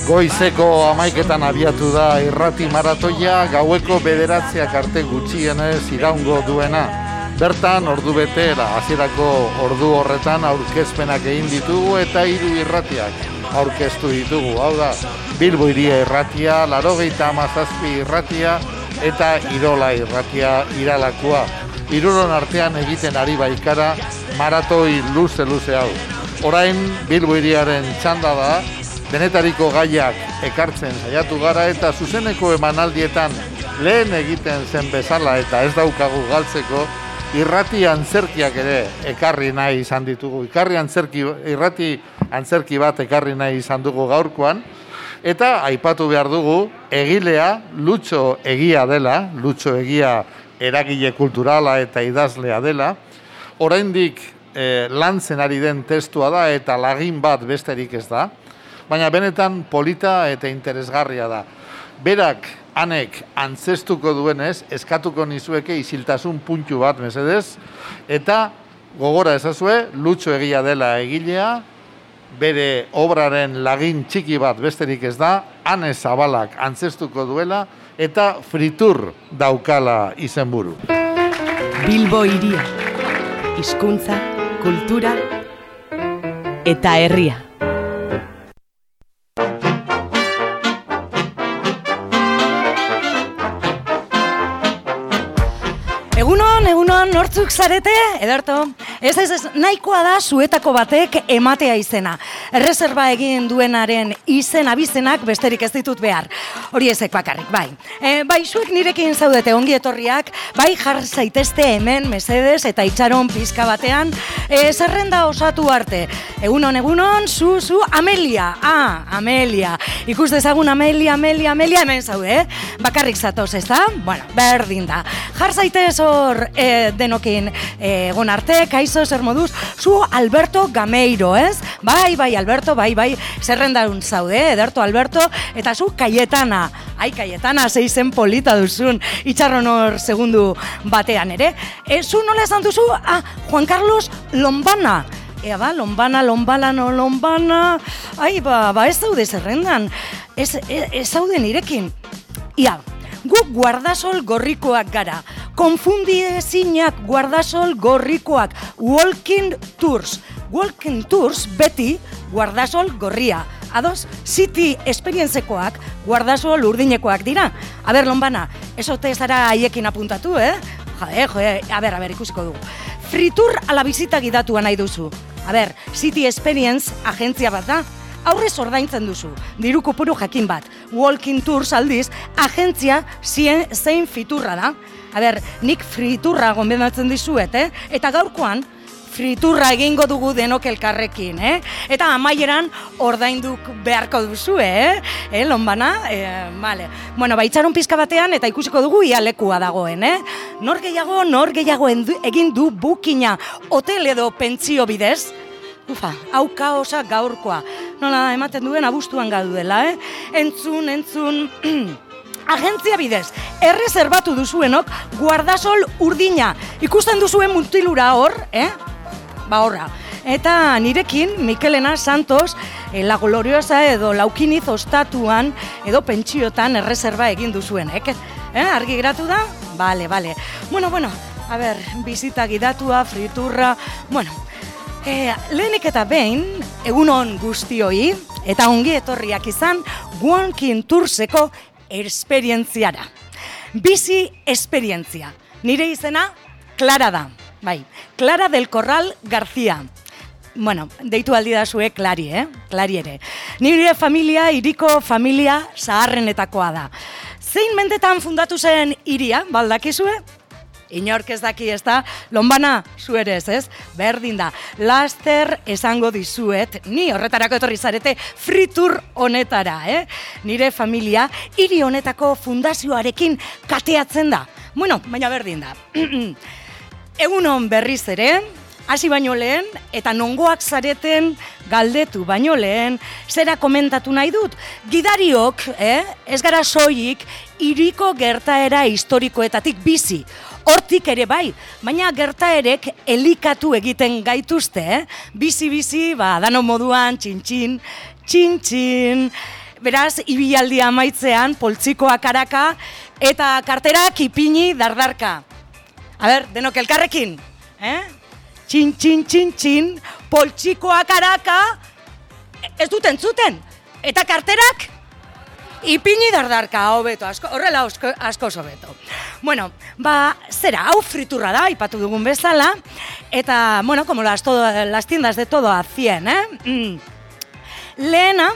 Goizeko 11:00 abiatu da irrati maratoia, gaueko 9:00 arte gutxienez iraungo duena. Bertan, ordu betera, hasierako ordu horretan aurkezpenak egin ditugu eta 3 irratiak aurkeztu ditugu. Hau da, Bilbo Hiria irratia, 97 irratia eta Irola irratia Iralakoa. Hiruron artean egiten ari baikara maratoi luze hau. Orain Bilbo Hiriaren txanda da, denetariko gaiak ekartzen saiatu gara eta zuzeneko emanaldietan lehen egiten zen bezala eta ez daukagu galtzeko, irrati antzerkiak ere ekarri nahi izan ditugu. Irrati antzerki bat ekarri nahi izan dugu gaurkoan, eta aipatu behar dugu egilea Lutxo Egia dela, Lutxo Egia eragile kulturala eta idazlea dela. Oraindik lantzen ari den testua da eta lagin bat besterik ez da, baina benetan polita eta interesgarria da. Berak hanek antzestuko duenez, eskatuko nizueke isiltasun puntu bat mesedez, eta gogora ezazue, Lutxo Egia dela egilea, bere obraren lagin txiki bat besterik ez da, Ane Zabalak antzestuko duela, eta Fritur daukala izenburu. Bilbo Hiria, hizkuntza, kultura eta herria. Egunon, nortzuk zarete, Ederto? Ez, nahikoa da zuetako batek ematea izena. Erreserba egin duenaren izen abizenak besterik ez ditut behar. Hori ezek bakarrik, bai. Bai, zuek nirekin zaudete ongi etorriak, bai jar zaitezte hemen mesedez eta itxaron pizka batean, zerrenda osatu arte. Egunon, zu, Amelia. Amelia. Ikus dezagun Amelia, hemen zaude, Bakarrik zatoz, ez da? Bueno, berdin da. Jar zaitez hor denokin egon arte, kaizo, zer moduz, zu Alberto Gameiro, ez? Bai, Alberto, bai, zerrendaun zaude, Ederto Alberto, eta zu Cayetana. Ai, Cayetana, zeizen polita duzun, itxarron hor segundu batean ere. Zu nola esan duzu? Juan Carlos Lombana. Ea ba, Lombana. Ai, ba, ez zaude zerrendan. Ez zaude nirekin. Ia, guk guardasol gorrikoak gara. Konfundiezinak guardasol gorrikoak. Walking Tours beti guardasol gorria. Ados, City Experiencekoak guardasol urdinekoak dira. A ber, Lombana, esote zara haiekin apuntatu, Jode, a ber, ikusiko dugu. Fritur ala bizita gidatua nahi duzu. A ber, City Experience agentzia bat da. Aurrez ordaintzen duzu, diru kopuru jakin bat. Walking Tours aldiz, agentzia zein fiturra da. A ber, nik friturra gonbedatzen dizuet, Eta gaurkoan, friturra egingo dugu denok elkarrekin, Eta amaieran ordainduk beharko duzu, Lombana? Vale. Bueno, itxaron pizka batean eta ikusiko dugu ia lekua dagoen, Nor gehiago egin du bookina hotel edo pentsio bidez? Ufa, hau kaosa gaurkoa. Nola ematen duen abuztuan gaudela, Entzun. Agentzia bidez, erreserbatu duzuenok guardasol urdina. Ikusten duzuen mutilura hor, Ba horra. Eta nirekin, Mikelena Santos, La Gloriosa edo Laukiniz ostatuan edo pentsiotan erreserba egin duzuenek. Argi geratu da? Bale. Bueno, a ber, bizita gidatua, friturra, lehenik eta behin, egunon guztioi, eta ongi etorriak izan, Walking Tourseko esperientziara. Bizi esperientzia. Nire izena, Clara da. Bai, Clara del Corral García. Bueno, deitu aldi da zue Clari, Clari ere. Nire familia, hiriko familia zaharrenetakoa da. Zein mendetan fundatu zen hiria, baldakizue? Inork ez daki, ez da? Lombana, zu ere ez? Berdin da. Laster esango dizuet, ni horretarako etorri zarete fritur honetara, Nire familia hiri honetako fundazioarekin kateatzen da. Bueno, baina berdin da. Egunon berriz ere, hasi baino lehen, eta nongoak zareten galdetu baino lehen, zera komentatu nahi dut. Gidariok, ez gara soilik, hiriko gertaera historikoetatik bizi. Hortik ere bai, baina gertaerek elikatu egiten gaituzte, bizi-bizi, dano moduan, txin-txin, txin-txin. Beraz, ibilaldia amaitzean, poltsikoa karaka eta karterak ipini dardarka. A ber, denok elkarrekin. Txin-txin-txin-txin, poltsikoa karaka, ez dut entzuten. Eta karterak ipini dardarka, hobeto, horrela asko hobeto. Bueno, zera, hau friturra da, aipatu dugun bezala, eta, bueno, como las tiendas de todo a 100, Lehena,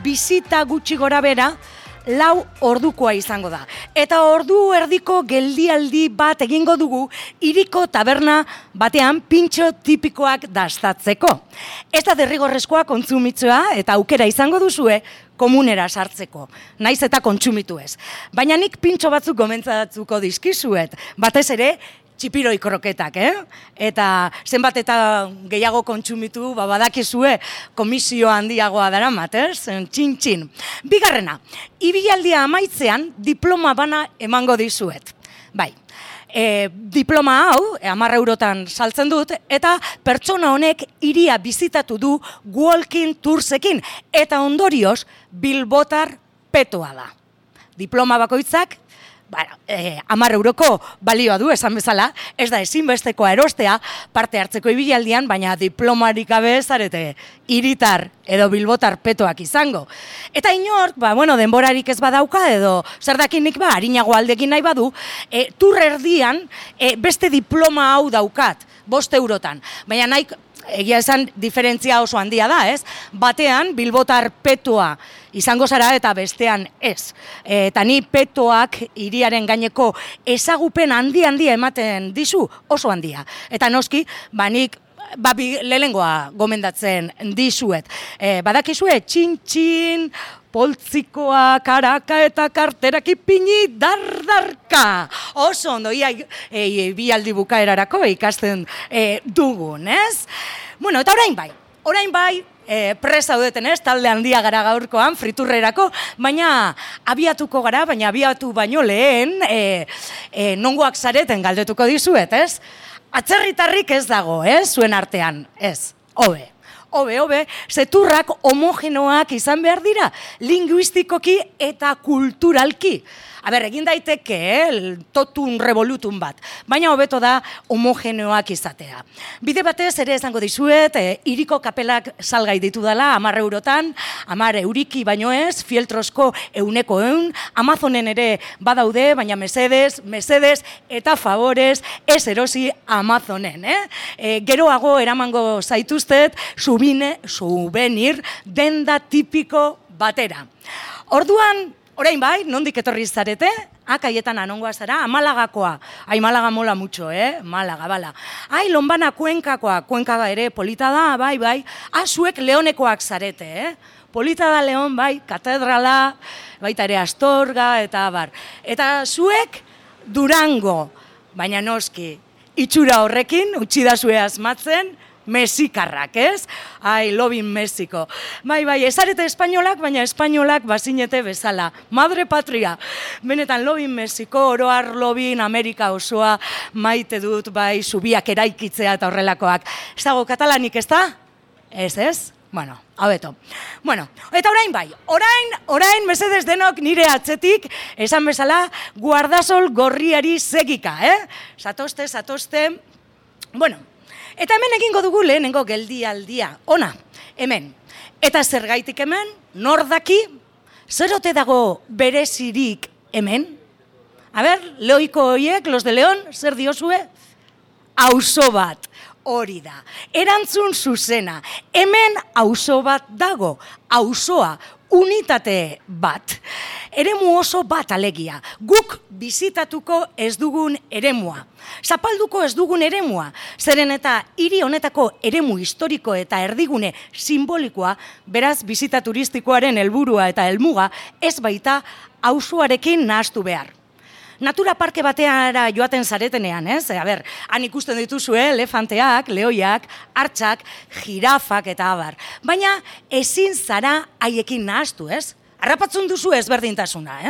bizita gutxi gora bera, 4 ordukoa izango da. Eta ordu erdiko geldialdi bat egingo dugu hiriko taberna batean pintxo tipikoak dastatzeko. Ez da derrigorrezkoa kontsumitzea eta aukera izango duzue komunera sartzeko, naiz eta kontsumitu ez. Baina nik pintxo batzuk gomentzatuko dizkizuet, batez ere txipiroi kroketak, Eta zenbat eta gehiago kontsumitu, badakizue komisio handiagoa daramat, txin-txin. Bigarrena, ibilaldia amaitzean diploma bana emango dizuet. Bai, diploma hau, 10 eurotan saltzen dut, eta pertsona honek hiria bizitatu du walking toursekin, eta ondorioz bilbotar petoa da. Diploma bakoitzak, 10 euroko balioa du, esan bezala, ez da ezinbestekoa erostea parte hartzeko ibilaldian, baina diplomarik gabe zarete hiritar edo bilbotar petoak izango. Eta inork, denborarik ez badauka edo zer dakinik harinago aldekin nahi badu, tur erdian beste diploma hau daukat, 5 eurotan. Baina nahi, egia esan, diferentzia oso handia da, ez? Batean, bilbotar petoa izango zara eta bestean ez. Eta ni petoak hiriaren gaineko ezagupen handia ematen dizu oso handia. Eta noski, nik lehengoa gomendatzen dizuet. Badakizue, txin-txin, poltsikoa, karaka eta karterak ipini dardarka. Oso ondo, bialdi bukaerarako ikasten dugun, ez? Bueno, eta orain bai, presa zaudeten, talde handia gara gaurkoan, friturrerako, baina abiatuko gara, baina abiatu baino lehen, nongoak zareten galdetuko dizuet, ez? Atzerritarrik ez dago, zuen artean, ez, Hobe, zeturrak homogenoak izan behar dira, linguistikoki eta kulturalki. Egin daiteke, totun revolutun bat, baina hobeto da homogenoak izatea. Bide batez ere esango dizuet, hiriko kapelak salgai ditu dela, 10 eurotan, 10 euriki baino ez, fieltrosko 100, Amazonen ere badaude, baina mesedez eta favorez ez erosi Amazonen. Geroago eramango zaituztet, souvenir denda tipiko batera. Orduan, orain bai, nondik etorri zarete? Kaietan anongoa zara, Malagakoa. Malaga mola mucho, Malaga, bala. Lonbana Kuenkakoa, Kuenka ere polita da, bai. Zuek Leonekoak zarete, Polita da Leon, bai, katedrala, baita ere Astorga, eta bar. Eta zuek Durango, baina noski, itxura horrekin, utxidazue asmatzen, Mexikarrak, ez? Lobin Mexiko. Bai, ezarete espainolak, baina espainolak bazinete bezala. Madre patria. Benetan, Lobin Mexiko, oroar Lobin Amerika osoa maite dut, bai, zubiak eraikitzea eta horrelakoak. Ez dago katalanik, ez da? Ez? Bueno, hobeto. Bueno, eta orain bai, orain mesedez denok nire atzetik, esan bezala, guardasol gorriari segika, Zatozte, bueno, eta hemen egingo dugu lehenengo geldialdia. Ona, hemen. Eta zergaitik hemen, nor daki, zer ote dago berezirik hemen? Leoiko horiek, los de León, zer diozue? Auzo bat, hori da. Erantzun zuzena, hemen auzo bat dago, auzoa, unitate bat. Eremu oso bat alegia, guk bizitatuko ez dugun eremua. Zapalduko ez dugun eremua, zeren eta hiri honetako eremu historiko eta erdigune simbolikoa, beraz bizita turistikoaren helburua eta helmuga, ez baita auzoarekin nahastu behar. Natura parke bateara joaten zaretenean, han ikusten dituzue elefanteak, lehoiak, hartzak, jirafak eta abar. Baina ezin zara haiekin nahastu, Harrapatzen duzu ezberdintasuna,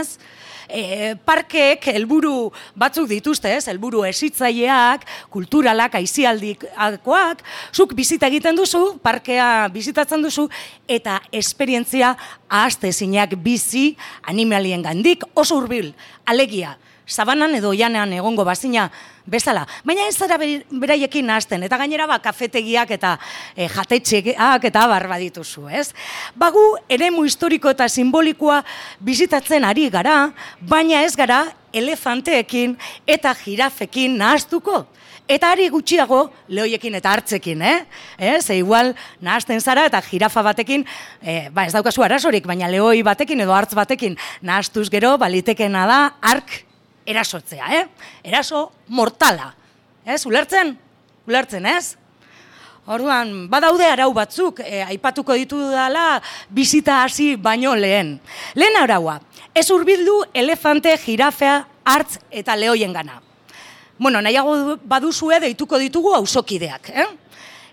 Parkeek helburu batzuk dituzte, ez? Helburu hezitzaileak, kulturalak, aisialdikoak, zuk bizita egiten duzu, parkea bizitatzen duzu, eta esperientzia ahaztezinak bizi animaliengandik oso hurbil, alegia. Sabanan edo oianean egongo bazina bezala. Baina ez zara beraiekin nahazten, eta gainera kafetegiak eta jatetxeak eta barba dituzu, ez? Bagu eremu historiko eta simbolikoa bizitatzen ari gara, baina ez gara elefanteekin eta jirafekin nahaztuko. Eta ari gutxiago lehoiekin eta hartzekin, Ze igual nahazten zara eta jirafa batekin, ez daukazu arazorik, baina lehoi batekin edo hartz batekin nahaztuz gero balitekena da hark erasotzea, Eraso mortala. Ulertzen? Ulertzen, ez? Orduan, badaude arau batzuk, aipatuko ditu dela bizita hasi baino lehen. Lehen araua, ez hurbildu elefante, jirafea, hartz eta lehoien gana. Bueno, nahiago baduzue deituko ditugu auzokideak,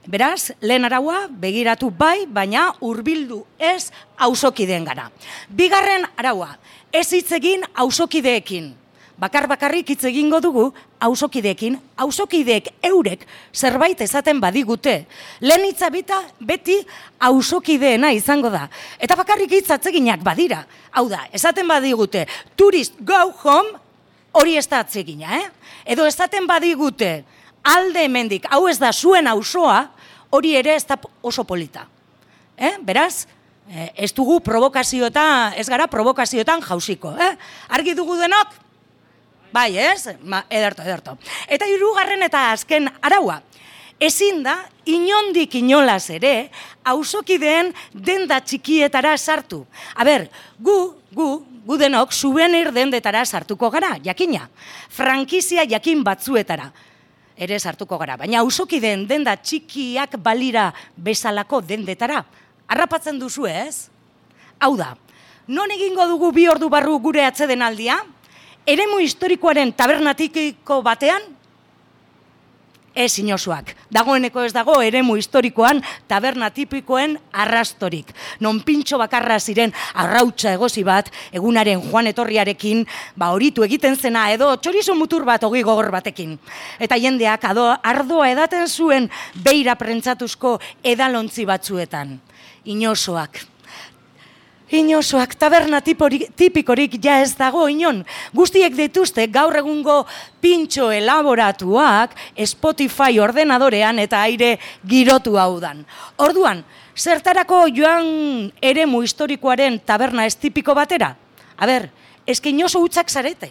Beraz, lehen araua begiratu bai, baina hurbildu ez auzokideen gana. Bigarren araua, ez hitz egin auzokideekin. Bakarrik hitz egingo dugu auzokideekin, auzokideek eurek zerbait esaten badigute. Lehen hitza beti auzokideena izango da. Eta bakarrik hitz atzeginak badira. Hau da, esaten badigute, tourist go home, hori ez da atzegina, Edo esaten badigute, alde hemendik, hau ez da zuen auzoa, hori ere ez da oso polita. Beraz, ez dugu ez gara provokazioetan jausiko. Argi dugu denok? Bai, ez? Ederto. Eta hirugarren eta azken araua. Ezin da, inondik inolaz ere, auzokideen denda txikietara sartu. Gu denok souvenir dendetara sartuko gara, jakina. Frankizia jakin batzuetara ere sartuko gara. Baina auzokideen denda txikiak balira bezalako dendetara. Harrapatzen duzu, ez? Hau da, non egingo dugu 2 ordu barru gure atsedenaldia? Eremu historikoaren tabernatiko batean? Ez inozoak. Dagoeneko ez dago eremu historikoan taberna tipikoen arrastorik. Non pintxo bakarra ziren arrautza egosi bat, egunaren joan etorriarekin, horitu egiten zena edo txorizo mutur bat ogi gogor batekin. Eta jendeak ardoa edaten zuen beira prentzatuzko edalontzi batzuetan. Inozoak. Inozoak, taberna tipikorik ja ez dago inon. Guztiek dituzte gaur egungo pintxo elaboratuak Spotify ordenadorean eta aire girotu hau dan. Orduan, zertarako joan eremu historikoaren taberna ez tipiko batera? Eske inozo hutzak zarete.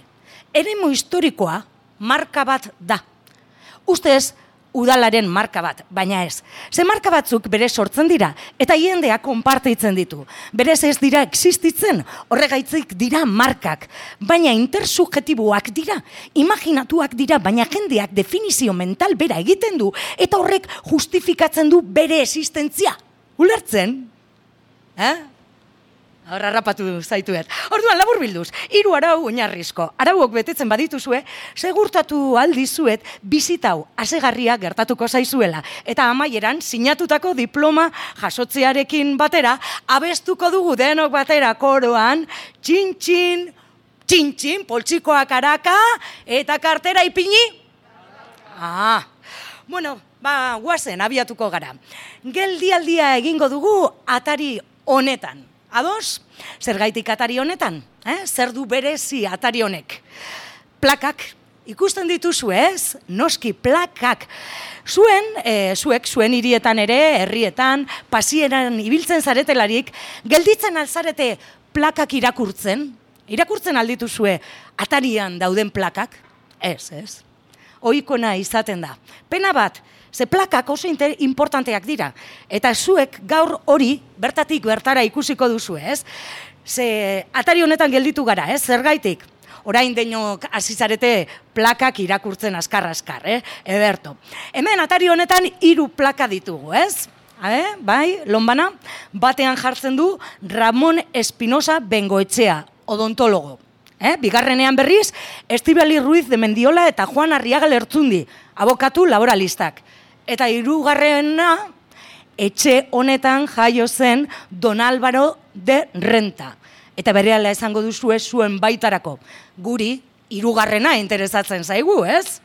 Eremu historikoa marka bat da. Ustez, udalaren marka bat, baina ez. Ze marka batzuk berez sortzen dira, eta jendea konpartitzen ditu. Berez ez dira existitzen, horregaitzik dira markak, baina intersubjetiboak dira, imaginatuak dira, baina jendeak definizio mental bera egiten du, eta horrek justifikatzen du bere existentzia. Ulertzen? Horra rapatu zaituet. Orduan, labur bilduz, 3 arau oinarrizko. Arauok betetzen badituzue, segurtatu aldizuet bizitau asegarria gertatuko zaizuela. Eta amaieran, sinatutako diploma jasotzearekin batera, abestuko dugu denok batera koroan, txin-txin, txin-txin, poltsikoak araka, eta kartera ipini? Guazen, abiatuko gara. Geldialdia egingo dugu atari honetan. Ados, zergaitik atari honetan? Zer du berezi atari honek? Plakak, ikusten dituzu ez? Noski, plakak. Zuek zuen hirietan ere, herrietan, pasieran ibiltzen zaretelarik, gelditzen alzarete plakak irakurtzen? Irakurtzen aldituzue atarian dauden plakak? Ez. Ohikona izaten da. Pena bat, ze plakak oso importanteak dira. Eta zuek gaur hori bertatik bertara ikusiko duzu, ez? Ze atari honetan gelditu gara, ez? Zergaitik? Orain denok azizarete plakak irakurtzen askar-askar, Ederto. Hemen atari honetan 3 plaka ditugu, ez? Bai, lonbana, batean jartzen du Ramon Espinosa Bengoetxea, odontologo. Bigarrenean berriz, Estibali Ruiz de Mendiola eta Juan Arriaga Lertzundi, abokatu laboralistak. Eta 3. etxe honetan jaio zen Don Álvaro de Renta. eta berehala esango duzue zuen baitarako. Guri, hirugarrena interesatzen zaigu, ez?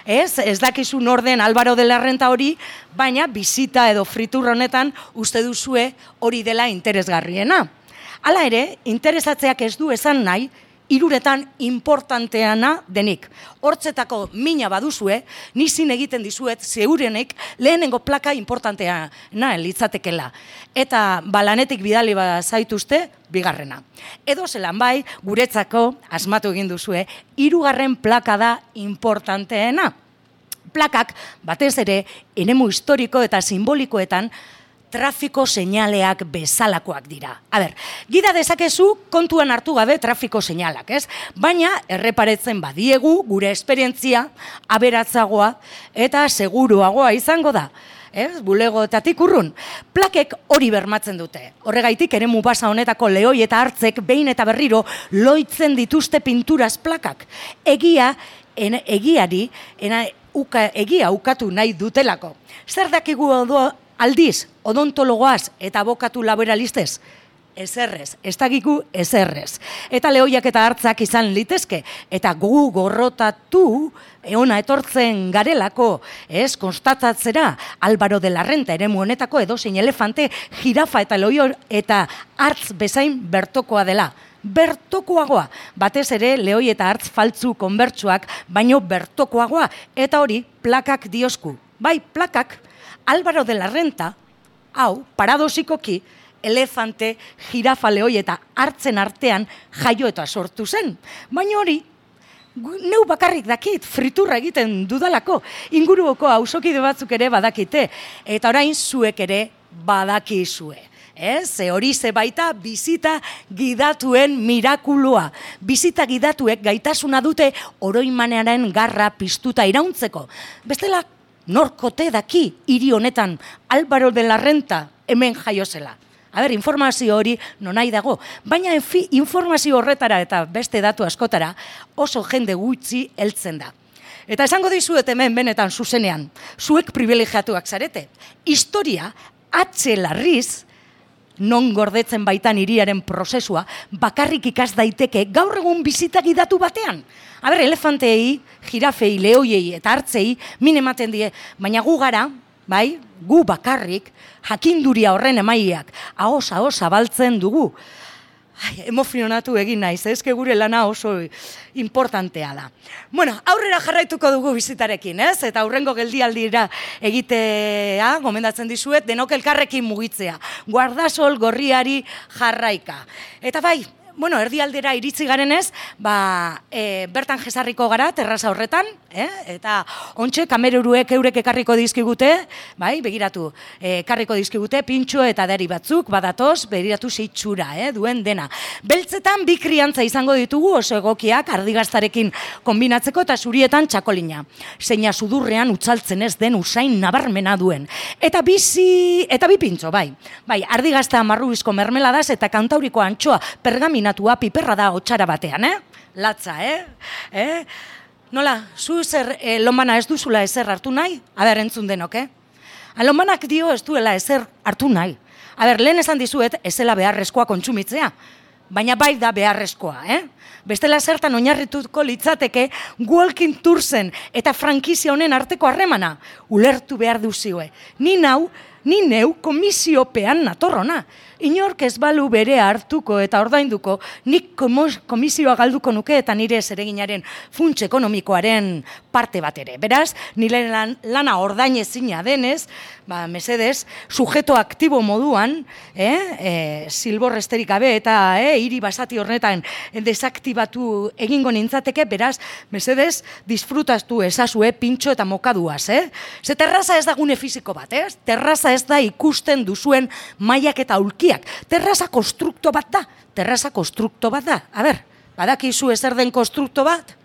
Ez dakizu nor den Álvaro de la Renta hori, baina bisita edo fritur honetan uste duzue hori dela interesgarriena. Hala ere, interesatzeak ez du esan nahi, hiruretan importanteana denik. Hortzetako mina baduzue, nizin egiten dizuet zeurenek lehenengo plaka importanteana litzatekela. Eta lanetik bidali zaituzte, bigarrena. Edo zelan bai, guretzako, asmatu egin duzue, hirugarren plaka da importanteena. Plakak, batez ere, eremu historiko eta simbolikoetan, trafiko seinaleak bezalakoak dira. Gida dezakezu kontuan hartu gabe trafiko seinalak, ez? Baina erreparetzen badiegu gure esperientzia aberatzagoa eta seguruagoa izango da. Bulegoetatik urrun. Plakek hori bermatzen dute. Horregaitik eremu basa honetako lehoi eta hartzek behin eta berriro loitzen dituzte pinturaz plakak. Egia ukatu nahi dutelako. Zer dakigu aldiz, odontologoaz eta abokatu laboralistez? Ezerrez, ez dakigu ezerrez. Eta lehoiak eta hartzak izan litezke, eta gu gorrotatu eona etortzen garelako, konstatatzera, Álvaro de la Renta eremu honetako edozein elefante, jirafa eta lehoi eta hartz bezain bertokoa dela. Bertokoagoa, batez ere lehoi eta hartz faltzu konbertsuak, baino bertokoagoa, eta hori plakak diosku. Bai, plakak, Álvaro de la Renta, hau, paradosikoki, elefante, jirafa, lehoi eta hartzen artean jaio eta sortu zen. Baina hori, neu bakarrik dakit, friturra egiten dudalako, inguruko auzokide batzuk ere badakite, eta orain zuek ere badakizue. Ze hori ze baita bizita gidatuen mirakulua. Bizita gidatuek gaitasuna dute oroimanearen garra piztuta irauntzeko. Bestela, norkote daki hiri honetan Álvaro de la Renta hemen jaio zela. Informazio hori nonai dago, baina informazio horretara eta beste datu askotara oso jende gutxi heltzen da. Eta esango dizuet hemen benetan zuzenean, zuek privilegiatuak zarete. Historia, larriz, non gordetzen baitan hiriaren prozesua, bakarrik ikas daiteke gaur egun bizita gidatu batean. Elefantei, jirafei, lehoiei eta hartzei min ematen die, baina gu gara, bai, gu bakarrik, jakinduria horren emaileak, ahos zabaltzen dugu. Emozionatu egin naiz, ezke gure lana oso importantea da. Aurrera jarraituko dugu bizitarekin, ez? Eta aurrengo geldialdira egitea, gomendatzen dizuet, denok elkarrekin mugitzea. Guardasol gorriari jarraika. Eta bai, erdialdera iritsi garenez, bertan jesarriko gara, terraza horretan, eta ontxe kameruruek eurek ekarriko dizkigute, begiratu, ekarriko dizkigute, pintxo eta dari batzuk, badatoz, begiratu zeitxura, duen dena. Beltzetan bi kriantza izango ditugu oso egokiak ardigaztarekin kombinatzeko eta zurietan txakolina. Zeina sudurrean utzaltzen ez den usain nabarmena duen. Eta bi pintxo, ardigazta marrubizko mermeladaz eta kantauriko antxoa pergamina piperra da hotxara batean, Latza, Nola, zu lomana ez duzula ezer hartu nahi? Entzun denok, Lomanak dio ez duela ezer hartu nahi. Lehen esan dizuet, ezela beharrezkoa kontsumitzea. Baina bai da beharrezkoa, Bestela zertan oinarrituko litzateke Walking Toursen eta frankizia honen arteko harremana. Ulertu behar duzioe. Ni neu komisiopean natorrona. Inork ez balu bere hartuko eta ordainduko, nik komisioa galduko nuke eta nire zereginaren funts ekonomikoaren parte bat ere. Beraz, nire lana ordainezina denez, mesedez, sujeto aktibo moduan, silborresterik gabe eta hiri basati horretan desaktibatu egingo nintzateke, beraz, mesedez, disfrutaztu ezazue pintxo eta mokaduaz, Ze terraza ez da gune fiziko bat, Terraza ez da ikusten duzuen mailak eta ulkiak. Terraza konstrukto bat da. Badakizu ezer den konstrukto bat?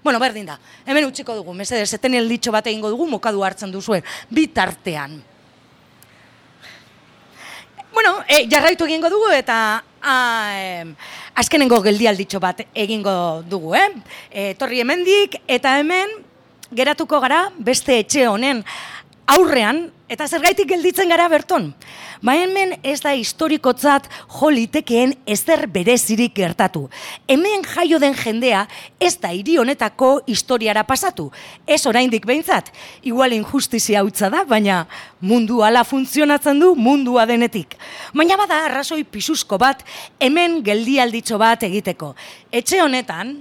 Berdin da. Hemen utziko dugu, mesedez, eten elditxo bat egingo dugu, mokadu hartzen duzuen, bitartean. Jarraitu egingo dugu eta azkenengo geldialditxo bat egingo dugu, Torri hemendik eta hemen geratuko gara beste etxe honen aurrean, eta zergaitik gelditzen gara berton. Ba hemen ez da historikotzat jo litekeen ezer berezirik gertatu. Hemen jaio den jendea ez da hiri honetako historiara pasatu. Ez oraindik behintzat, igual injustizia hutsa da, baina mundu hala funtzionatzen du mundua denetik. Baina bada arrazoi pisuzko bat hemen geldialditxo bat egiteko. Etxe honetan,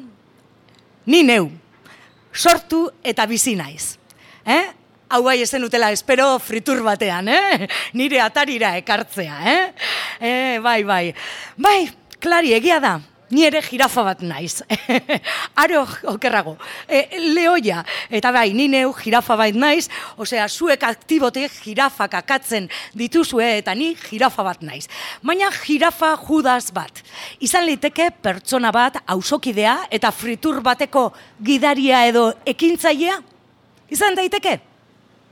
ni neu, sortu eta bizi naiz. Hau bai ezen utela, espero fritur batean, nire atarira ekartzea, bai. Bai, klari, egia da, ni ere jirafa bat naiz. Aro okerrago, lehoia, eta bai, ni neu jirafa bat naiz, osea, zuek aktibote jirafak akatzen dituzue, eta ni jirafa bat naiz. Baina jirafa judas bat. Izan liteke pertsona bat, auzokidea, eta fritur bateko gidaria edo ekintzailea? Izan daiteke?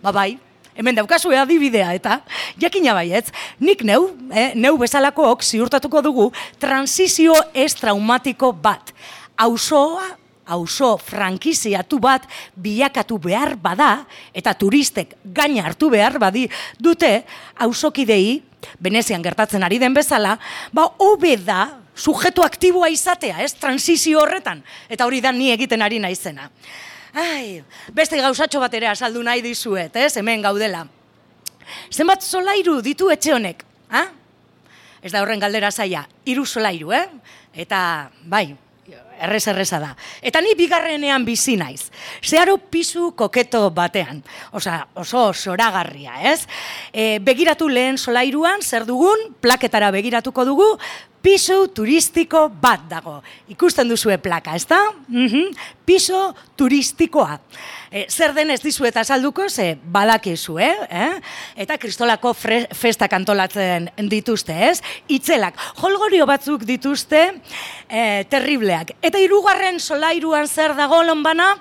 Ba bai, hemen daukazue adibidea eta jakina baietz, nik neu bezalakook ziurtatuko dugu transizio ez traumatiko bat. Auzo frankiziatu bat bilakatu behar bada eta turistek gaina hartu behar badi dute auzokidei, Venezian gertatzen ari den bezala, ba hobe da sujetu aktiboa izatea, transizio horretan, eta hori da ni egiten ari naizena. Beste gauzatxo bat ere azaldu nahi dizuet, hemen gaudela. Zenbat solairu ditu etxe honek? Ez da horren galdera zaila, 3 solairu, eta bai, erreza da. Eta ni bigarrenean bizi naiz. Zeharo pisu koketo batean. Oso zoragarria, ez? Begiratu lehen solairuan, zer dugun, plaketara begiratuko dugu, piso turistiko bat dago. Ikusten duzue plaka, ez da? Piso turistikoa. Zer den ez dizuet azalduko, ze badakizu, Eta kristolako festak antolatzen dituzte, ez? Itzelak, jolgorio batzuk dituzte, terribleak. Eta 3. solairuan zer dago lonbana?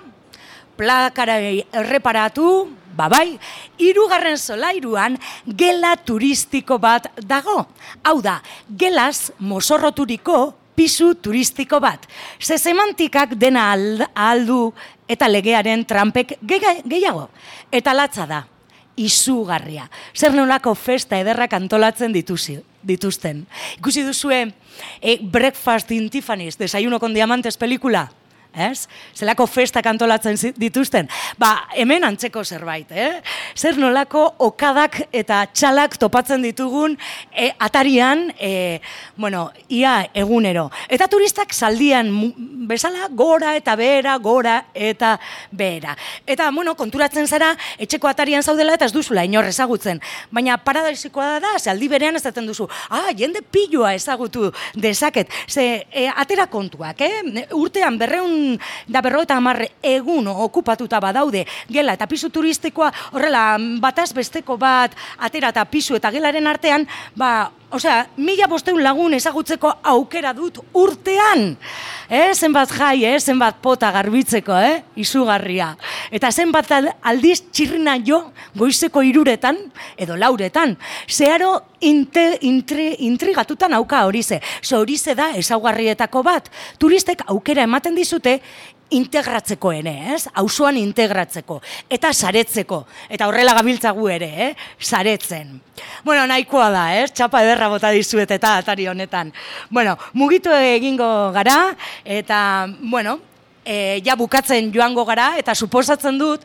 Plakara erreparatu, bai, 3. solairuan gela turistiko bat dago. Hau da, gelaz mozorroturiko pisu turistiko bat. Ze semantikak dena aldu eta legearen trampek gehiago. Eta latza da, izugarria. Zer nolako festa ederrak antolatzen dituzten. Ikusi duzue Breakfast in Tiffany's, Desayuno con Diamantes pelikula? Zelako festak antolatzen dituzten. Ba, hemen antzeko zerbait, Zer nolako okadak eta txalak topatzen ditugun atarian, ia egunero. Eta turistak zaldian bezala gora eta behera, Eta, konturatzen zara, etxeko atarian zaudela eta ez duzula inor ezagutzen. Baina paradaisikoa da, zaldi berean ezaten duzu, jende pilloa ezagutu dezaket. Ze, atera kontuak, urtean 250 egun okupatuta badaude gela eta pisu turistikoa, horrela bataz besteko bat atera eta pisu eta gelaren artean, 1500 lagun ezagutzeko aukera dut urtean. Zenbat jai, zenbat pota garbitzeko, izugarria. Eta zenbat aldiz txirrina jo goizeko 3 edo 4. Zeharo intrigatutan auka horize. Horize da ezaugarrietako bat. Turistek aukera ematen dizute integratzeko auzoan integratzeko, eta saretzeko, eta horrela gabiltzagu ere, saretzen. Nahikoa da, txapa ederra bota dizuet eta atari honetan. Mugitu egingo gara, eta, ja bukatzen joango gara, eta suposatzen dut,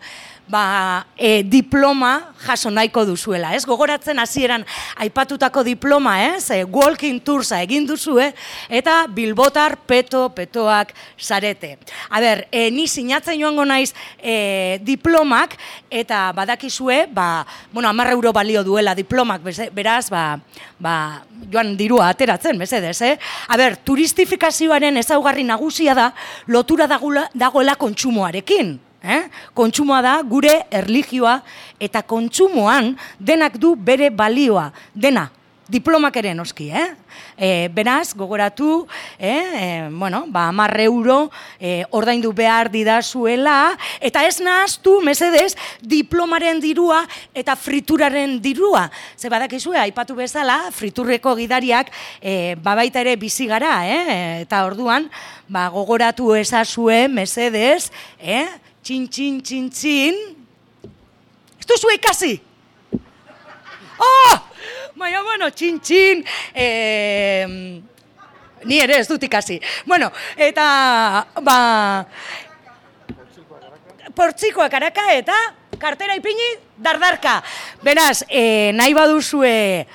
diploma jaso nahiko duzuela, Gogoratzen hasieran aipatutako diploma, walking toursa egin duzue, eta bilbotar petoak zarete. Ni sinatzen joango naiz diplomak, eta badakizue, 10 euro balio duela diplomak, beraz, joan dirua ateratzen, mesedez, turistifikazioaren ezaugarri nagusia da, lotura dagoela kontsumoarekin. Kontsumoa da gure erlijioa eta kontsumoan denak du bere balioa, dena, diplomak ere noski, Beraz, gogoratu, 10 euro ordaindu behar didazuela, eta ez nahaztu, mesedez, diplomaren dirua eta frituraren dirua. Ze badakizue, aipatu bezala, friturreko gidariak baita ere bizi gara, eta orduan, gogoratu ezazue, mesedez, txin, ez duzu ikasi? Oh! Baina, bueno, txin-txin, ni ere ez dut ikasi. Bueno, eta, portzikoa karaka eta kartera ipini dardarka. Beraz, nahi baduzue